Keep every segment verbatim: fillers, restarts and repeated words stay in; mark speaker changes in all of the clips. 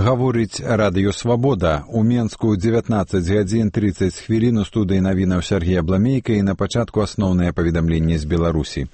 Speaker 1: Гаворыць радыё «Свабода». У Менску дзевятнаццаць гадзін трыццаць хвілін у студыі навінаў Сергей Абламейка і на пачатку асноўныя паведамленні з Беларусі.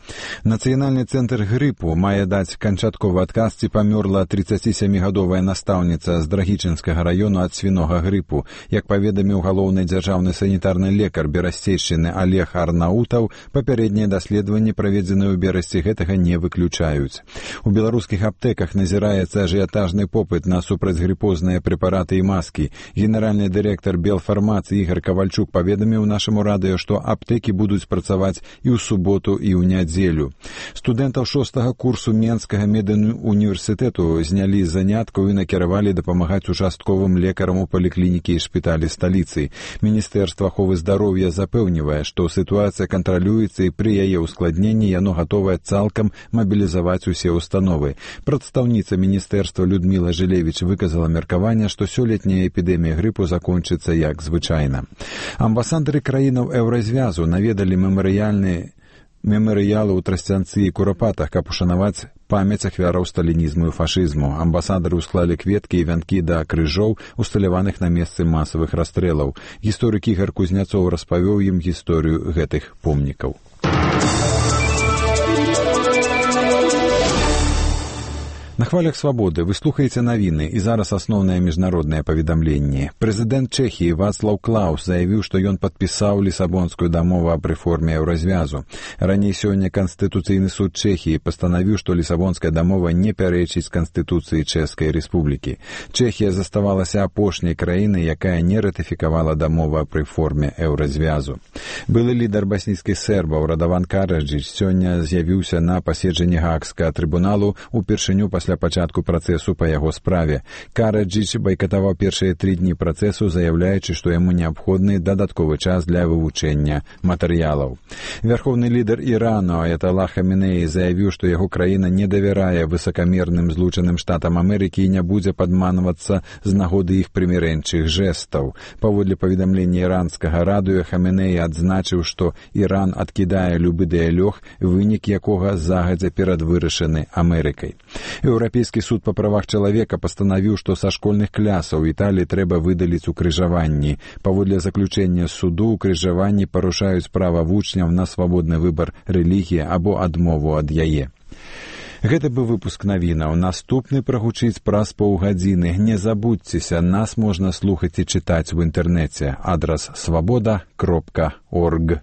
Speaker 1: Нацыянальны цэнтр грыпу мае даць канчатковы адказ, ці памёрла трыццацісямігадовая настаўніца з Драгічынскага раёну ад свінога грыпу. Як паведаміў галоўны дзяржаўны санітарны лекар Берасцейшчыны Олег Арнаутаў, папярэднія даследаванні, праведзеныя ў Берасці, гэтага не выключаюць. У беларускіх аптэках назіраецца ажыятажны попыт на супраць гриппозныя препараты і маскі. Генеральны дырэктар Белфармацыі Ігор Кавальчук паведаміў нашаму радыё, што аптэкі будуць працаваць і ў суботу, і ў нядзелю. Студэнтаў шостага курсу Менскага медуніверсітэту знялі з заняткаў і накіравалі дапамагаць участковым лекарам у паліклінікі і шпіталі сталіцы. Міністэрства аховы здароўя запэўнівае, што сітуацыя кантралюецца і пры яе ускладненні яно гатовае цалкам мабілізаваць усе установы. Прадстаўніца міністэрства Людміла Жылевіч выказала меркаванне, што сёлетняя эпідэмія грыпу закончыцца як звычайна. Амбасадары краінаў Еўразвязу наведалі мемарыяльны мемарыялы ў Трасцянцы і Курапатах, каб ушанаваць памяць ахвяраў сталінізму і фашызму. Амбасадары ўсклалі кветкі і вянкі да крыжоў, усталяваных на месцы масавых расстрэлаў. Гісторык Ігар Кузняцоў распавёў ім гісторыю гэтых помнікаў. На хвалях «Свабоды» вы слухаеце навіны, і зараз асноўнае міжнароднае паведамленне. Прэзідэнт Чэхіі Вацлаў Клаус заявіў, што ён падпісаў Лісабонскую дамову аб рэформе Еўразвязу. Раней сёння Канстытуцыйны суд Чэхіі пастанавіў, што Лісабонская дамова не пярэчыць Канстытуцыі Чэшскай Рэспублікі. Чэхія заставалася апошняй краінай, якая не ратыфікавала дамову аб рэформе Еўразвязу. Былы лідар баснійскіх сербаў Радаван Караджыч сёння з'явіўся на паседжанні Гаагскага трыбуналу упершыню пасля Пасля пачатку працэсу па яго справе. Караджыч байкатаваў першыя тры дні працэсу, заяўляючы, што яму неабходны дадатковы час для вывучэння матэрыялаў. Вярхоўны лідар Ірану Аяталах Хаменеі заявіў, што яго краіна не давярае высакамерным Злучаным Штатам Амерыкі і не будзе падманвацца з нагоды іх прымірэнчых жэстаў. Паводле паведамлення іранскага радыё, Хаменеі адзначыў, што Іран адкідае любы дыялог, вынік якога загадзя перадвырашаны Амерыкай. Еўрапейскі суд па правах чалавека пастанавіў, што са школьных клясаў Італіі трэба выдаліць укрыжаванні. Паводле заключэння суду, укрыжаванні парушаюць права вучняў на свабодны выбар рэлігіі або адмову ад яе. Гэта быў выпуск навінаў. Наступны прагучыць праз паўгадзіны. Не забудзьцеся, нас можна слухаць і чытаць у інтэрнэце. Адрас свабода кропка орг.